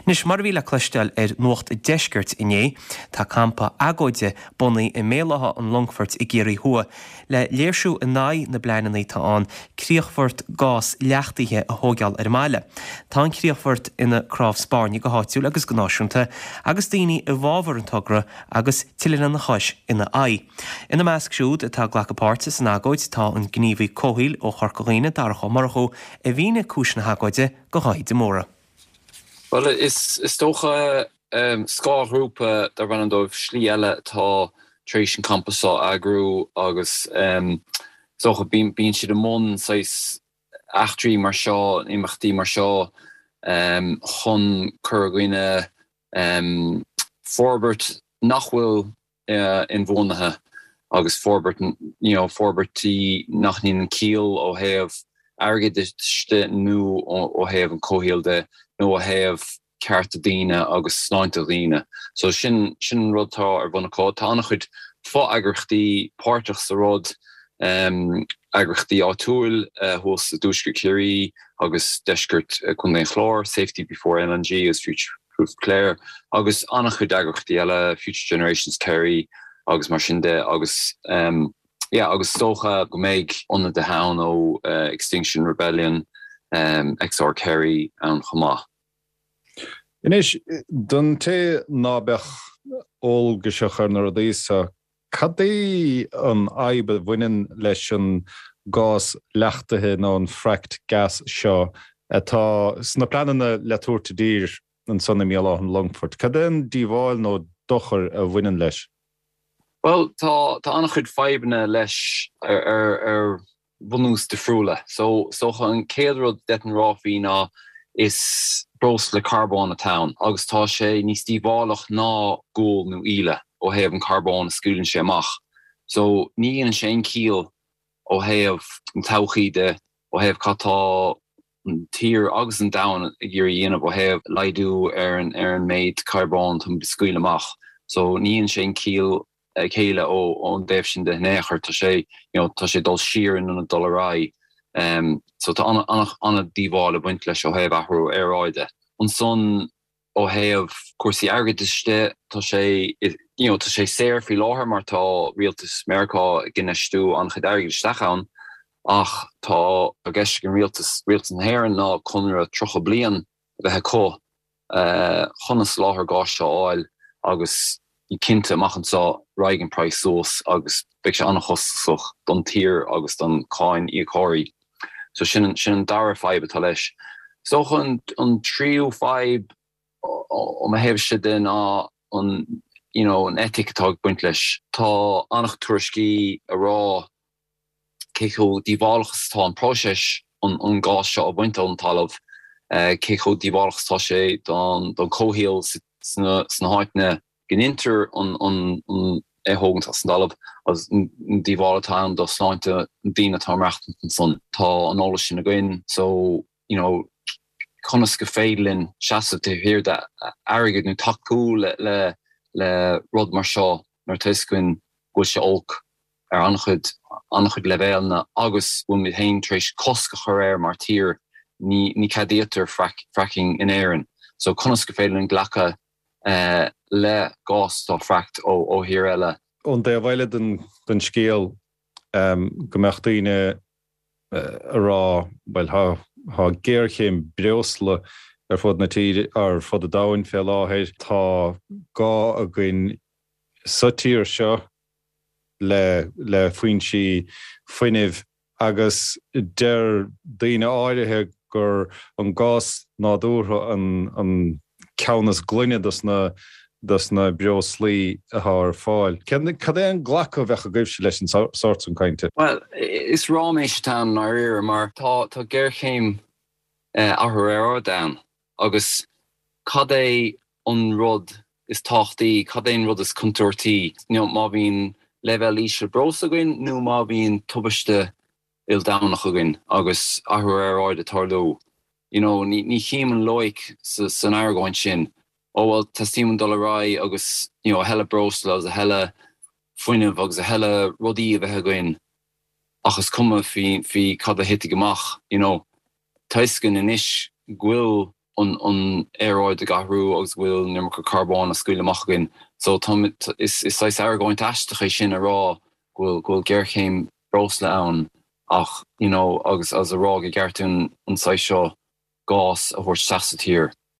Anois, mar a bhí le cloisteáil ar Nuacht an Deiscirt inné, tá campa agóide bunaithe i mBéal Átha an Longfoirt i gCiarraí Thuaidh le léirsiú in aghaidh na bpleananna atá ann críochfort gás leachtaithe a thóigeáil ar an mbaile. Tá an críochfort ina cnámh spairne go háitiúil agus go náisiúnta agus daoine i bhfabhar an togra agus tuilleadh lena chois ina aghaidh. Ina measc siúd atá ag glacadh páirte san agóid tá an gníomhaí comhshaoil ó Chorca Dhuibhne, Darach Ó Murchú, a mhínigh cúis na hagóide do Dháithí de Mórdha. Bhuel, is dócha scáthghrúpa darb ainm dóibh Slí Eile atá tar éis an campa seo a eagrú agus is dócha bíonn siad i mbun saghas eachtraí mar seo, imeachtaí mar seo chun cur i gcoinne forbairt nach bhfuil inbhuanaithe agus forbairt, you know, forbairtí nach ndéanann ciall ó thaobh airgeadais de nó ó thaobh an comhshaoil de nó ó thaobh cearta daoine agus sláinte dhaoine. So sin, sin an rud atá ar bun acu. Tá an-chuid fo-eagraíochtaí páirteach sa rud, eagraíochtaí áitiúil thuas i dTuaisceart Chiarraí agus deisceart Contae an Chláir, Safety Before LNG agus Future Proof Clare agus an-chuid eagraíochtaí eile, Future Generations Kerry agus mar sin de agus yeah agus is dócha go mbeidh ionadaithe ann ó Extinction Rebellion, XR Kerry ann chomh maith. Anois, don té ná beadh eolgaiseach ar na rudaí so, Cad é an fhadhb a bhaineann leis an gás leachtaithe nó an fracked gas seo atá sna pleananna le tabhairt i dtír ansan i mBéal Átha an Longfoirt? Cad é an díobháil nó dochar a bhaineann leis? Bhuel, tá an-chuid fadhbanna leis ar bhunús difriúla. So, is dócha an chéad rud d'fhéadfainn a rá faoi ná is breosla carbóin atá ann agus tá sé níos díobhálach ná gual nó íle ó thaobh an carbón a scaoileann sé amach. So, ní dhéanann sé aon chiall ó thaobh an todhchaí de, ó thaobh cad tá an tír agus an domhan ag iarraidh a dhéanamh ó thaobh laghdú ar an ar an méid carbóin atá muid ag scaoileadh amach. So, ní dhéanann sé aon chiall céille ón dtaobh sin de in aon chor. Tá sé, you know, tá sé ag dul siar in ionad dul ar aghaidh. So tá an-díobháil ag baint leis ó thaobh athrú aeráide. Ansan ó thaobh cúrsaí airgeadais de, tá sé, you know, tá sé saor faoi láthair mar tá rialtas Meiriceá ag infheistiú an-chuid airgid isteach ann ach tá i gceist ag an rialtas, rialtas na hÉireann ná conradh 30 bliain a bheith acu chun an soláthar gáis seo a fháil agus cinnte amach anseo raghaidh an praghas suas agus beidh sé an-chostasach don tír agus don cáin íocóirí. So sin sin an dara fadhb atá leis. Is dócha an an tríú fadhb ó mo thaobhse de ná an you know an eitic atá ag baint leis. Tá an-chuid tuairiscí ag rá cé chomh díobhálach is atá an próiseas an gás seo a bhaint ón talamh, cé chomh díobhálach is atá sé don chomhshaol sna háiteanna go ndeintear é a thógaint as an dtalamh agus an díobháil atá ann do shláinte na daoine atá ag maireachtaint ansan. Tá an eolas sin againn so you know conas go féidir linn seasamh taobh thiar d'airgead nó tacú le le rud mar seo nuair atá fhios againn go bhfuil sé olc ar an-chuid, an-chuid leibhéalanna agus go bhfuil muid féin tar éis cosc a chur air mar tír, ní, ní ceadaítear fracking in Éirinn. So conas go féidir linn glacadh le gás atá fracked ó, ó thír eile? Ón dtaobh eile den, den scéal, go mbeadh daoine ag rá, bhuel, tá, tá géarchéim breosla ar fud na tíre, ar fud an domhain fé láthair, tá gá againn sa tír seo le le foinsí fuinnimh agus deir daoine áirithe gur an gás nádúrtha an an ceann is glaine dos na dos na breoslaí atá ar fáil. Cad é an glacadh a bheadh agaibhse leis an sórt san cainte? Bhuel, is ráiméis atá ann i ndáiríre mar tá tá géarchéim athrú aeráide ann Agus cad é an rud is tábhachtaí, cad é an rud is contúirtí, má bhíonn leibhéal íseal breosla againn nó má bhíonn tubaiste ildamhnach againn agus athrú aeráide ag tarlú? You know, ní chím an loighic san argóint sin. Ó bhuel, teastaíonn uainn dul ar aghaidh agus, you know, a thuilleadh breosla agus a thuilleadh fuinnimh agus a thuilleadh rudaí a bheith againn ach is cuma faoi cad a thitfidh amach, you know. Tá fhios againn anois go bhfuil. An aeráid ag athrú agus go bhfuil an iomarca carbóin á scaoileadh amach againn. So tá, is saghas argóint aisteach é sin a rá go bhfuil, go bhfuil géarchéim breosla ann ach, you know, agus agus a rá go gceart dúinn an saghas seo gás a thabhairt isteach sa tír.